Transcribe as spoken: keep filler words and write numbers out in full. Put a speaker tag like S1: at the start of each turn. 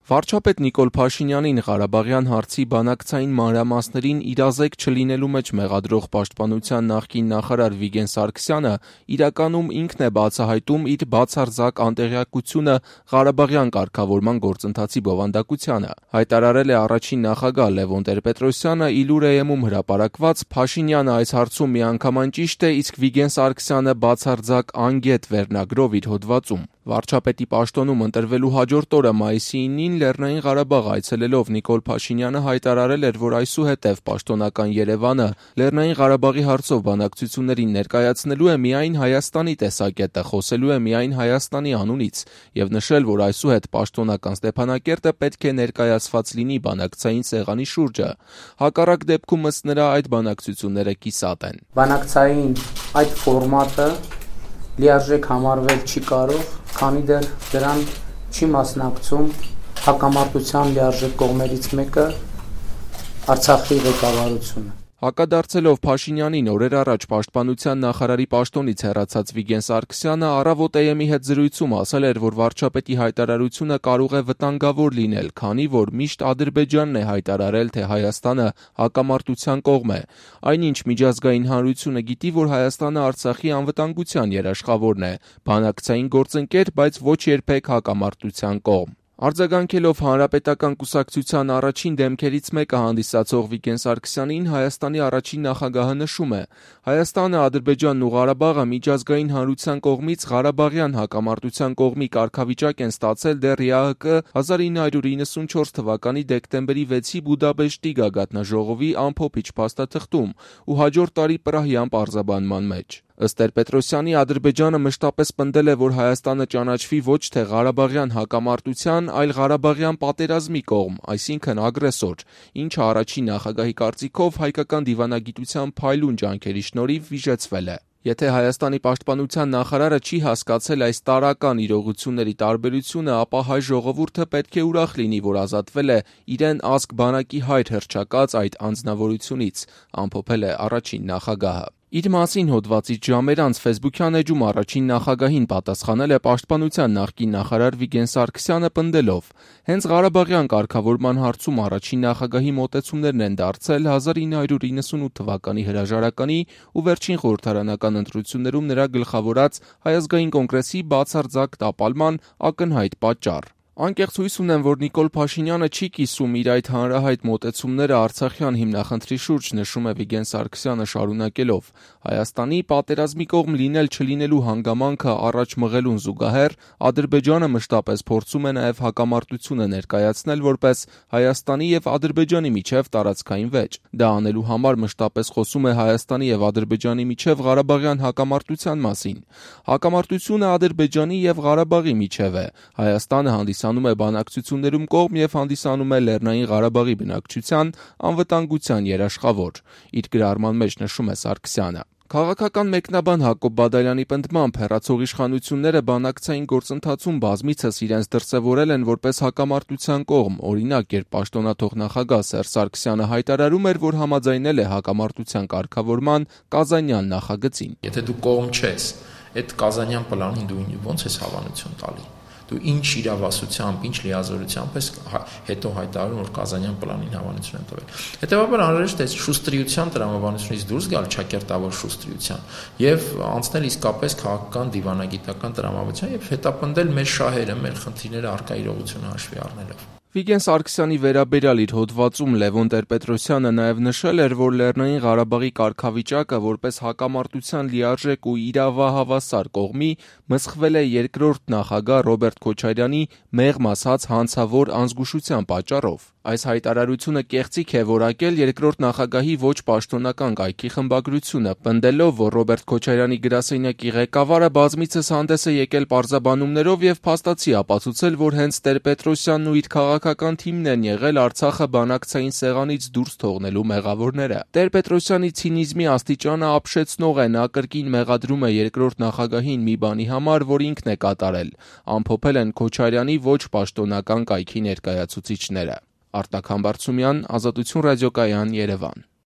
S1: Վարչապետ Նիկոլ Փաշինյանին Ղարաբաղյան հարցի բանակցային մանրամասներին իրազեկ չլինելու մեջ մեղադրող Պաշտպանության նախկին նախարար Վիգեն Սարգսյանը իրականում ինքն է բացահայտում իր բացարձակ անտեղյակությունը Ղարաբաղյան կարգավորման գործընթացի բովանդակությանը, հայտարարել է առաջին նախագահ Լևոն Տեր-Պետրոսյանը Իլուր-Էյեմում հրապարակված «Փաշինյանը այս հարցում միանգամայն ճիշտ է, իսկ Վիգեն Սարգսյանը բացարձակ անգետ» վերնագրով իր հոդվածում։ Վարչապետի պաշտոնում ընտրվելու հաջորդ օրը մայիսի ինին Լեռնային Ղարաբաղ այցելելով Նիկոլ Փաշինյանը հայտարարել էր, որ այսուհետև պաշտոնական Երևանը Լեռնային Ղարաբաղի հարցով բանակցություններին ներկայացնելու է միայն Հայաստանի տեսակետը, խոսելու է միայն Հայաստանի անունից և նշել, որ այսուհետ պաշտոնական Ստեփանակերտը պետք է ներկայացված լինի բանակցային սեղանի շուրջը։ Հակառակ դեպքում ըստ նրա այդ բանակցությունները կիսատ են։
S2: Բանակցային այդ ֆորմատը լիարժեք համարվել չի կարող, քանի դեռ դրան չի մասնակցում հակամարտության լիարժեք կողմերից մեկը Արցախի ղեկավարությունը։
S1: Հակադարձելով Փաշինյանին օրեր առաջ պաշտպանության նախարարի պաշտոնից հեռացած Վիգեն Սարգսյանը Առավոտ-Էյեմի հետ զրույցում ասել էր, որ վարչապետի հայտարարությունը կարող է վտանգավոր լինել, քանի որ միշտ Ադրբեջանն է հայտարարել, թե Հայաստանը հակամարտության կողմ է, այնինչ միջազգային հանրությունը գիտի, որ Հայաստանը Արցախի անվտանգության երաշխավորն է, բանակցային գործընկեր, բայց ոչ երբեք հակամարտության կողմ։ Արձագանքելով Հանրապետական կուսակցության առաջին դեմքերից մեկը հանդիսացող Վիգեն Սարգսյանին Հայաստանի առաջին նախագահը նշում է. Հայաստանը, Ադրբեջանն ու Ղարաբաղը միջազգային հանրության կողմից Ղարաբաղյան հակամարտության կողմի կարգավիճակ են ստացել դեռ ԵԱՀԿ հազար ինը հարյուր իննսունչորս թվականի դեկտեմբերի վեցի Բուդապեշտի գագաթնաժողովի ամփոփիչ փաստաթղթում ու հաջորդ տարի Պրահյան պարզաբանման մեջ։ Ըստ Տեր-Պետրոսյանի Ադրբեջանը մշտապես պնդել է, որ Հայաստանը ճանաչվի ոչ թե Ղարաբաղյան հակամարտության, այլ Ղարաբաղյան պատերազմի կողմ, այսինքն ագրեսոր, ինչը առաջին նախագահի կարծիքով հայկական դիվանագիտության փայլուն ջանքերի շնորհիվ վիժեցվել է։ Եթե Հայաստանի պաշտպանության նախարարը չի հասկացել այս տարրական իրողությունների տարբերությունը, ապա հայ ժողովուրդը պետք է ուրախ լինի, որ ազատվել է իրեն ազգ բանակի հայր հռչակած այդ անձնավորությունից, ամփոփել է առաջին նախագահը։ Իր մասին հոդվածից ժամեր անց ֆեյսբուքյան էջում առաջին նախագահին պատասխանել է պաշտպանության նախկին նախարար Վիգեն Սարգսյանը պնդելով. հենց Ղարաբաղյան կարգավորման հարցում առաջին նախագահի մոտեցումներն են դարձել հազար ինը հարյուր իննսունութ թվականի հրաժարականի ու վերջին խորհրդարանական ընտրություններում նրա գլխավորած Հայ ազգային կոնգրեսի բացարձակ տապալման ակնհայտ պատճառ։ Անկեղծ հույս ունեմ, որ Նիկոլ Փաշինյանը չի կիսում իր այդ հանրահայտ մոտեցումները Արցախյան հիմնախնդրի շուրջ, նշում է Վիգեն Սարգսյանը շարունակելով. Հայաստանի պատերազմի կողմ լինել-չլինելու հանգամանքը առաջ մղելուն զուգահեռ Ադրբեջանը մշտապես փորձում է նաև հակամարտությունը ներկայացնել որպես Հայաստանի և Ադրբեջանի միջև տարածքային վեճ։ Դա անելու համար մշտապես խոսում է Հայաստանի և Ադրբեջանի միջև Ղարաբաղյան հակամարտության մասին։ Հակամարտությունը Ադրբեջանի և Ղարաբաղի միջև է։ Հայաստանը հանդիսանում է բանակցություններում կողմ և հանդիսանում է Լեռնային Ղարաբաղի բնակչության անվտանգության երաշխավոր։ Իր գրառման մեջ նշում է Սարգսյանը։ Քաղաքական մեկնաբան Հակոբ Բադալյանի պնդմամբ հեռացող իշխանությունները բանակցային գործընթացում բազմիցս իրենց դրսևորել են որպես հակամարտության կողմ, օրինակ, երբ պաշտոնաթող նախագահ Սերժ Սարգսյանը հայտարարում էր, որ համաձայնել է հակամարտության կարգավորման Կազանյան նախագծին։
S3: Եթե դու կողմ չես, այդ Կազանյան պլանին դու ո՞նց ես հավանություն տալի։ Դու ինչ իրավասությամբ, ինչ լիազորությամբ ես հետո հայտարարում, որ Կազանյան պլանին հավանություն են տվել։ Հետևաբար անհրաժեշտ է շուստրիության տրամաբանությունից դուրս գալ չակերտավոր շուստրիության եւ անցնել իսկապես քաղաքական դիվանագիտական տրամաբանության եւ հետապնդել մեր շահերը, մեր խնդիրները առկա իրողությունը հաշվի առնելով։
S1: Վիգեն Սարգսյանի վերաբերյալ իր հոդվածում Լևոն Տեր-Պետրոսյանը նաև նշել էր, որ Լեռնային Ղարաբաղի կարգավիճակը որպես հակամարտության լիարժեք ու իրավահավասար կողմի մսխվել է երկրորդ նախագահ Ռոբերտ Քոչարյանի մեղմ ասած հանցավոր անզգուշության պատճառով։ Այս հայտարարությունը կեղծիք է որակել երկրորդ նախագահի ոչ պաշտոնական կայքի խմբագրությունը, պնդելով, որ Ռոբերտ Քոչարյանի գրասենյակի ղեկավարը բազմիցս հանդես է եկել պարզաբանումներով և փաստացի ապացուցել, որ հենց Տեր-Պետրոսյանն ու իր քաղաքական թիմն են եղել Արցախը բանակցային սեղանից դուրս թողնելու մեղավորները։ Տեր-Պետրոսյանի ցինիզմի աստիճանը ապշեցնող է, նա կրկին մեղադրում է երկրորդ նախագահին մի բանի համար, որ ինքն է կատարել, ամփոփել են Քոչարյանի ոչ պաշտոնական կայքի ներկայացուցիչները։ Արտակ Համբարձումյան, Ազատություն ռադիոկայան, Երևան։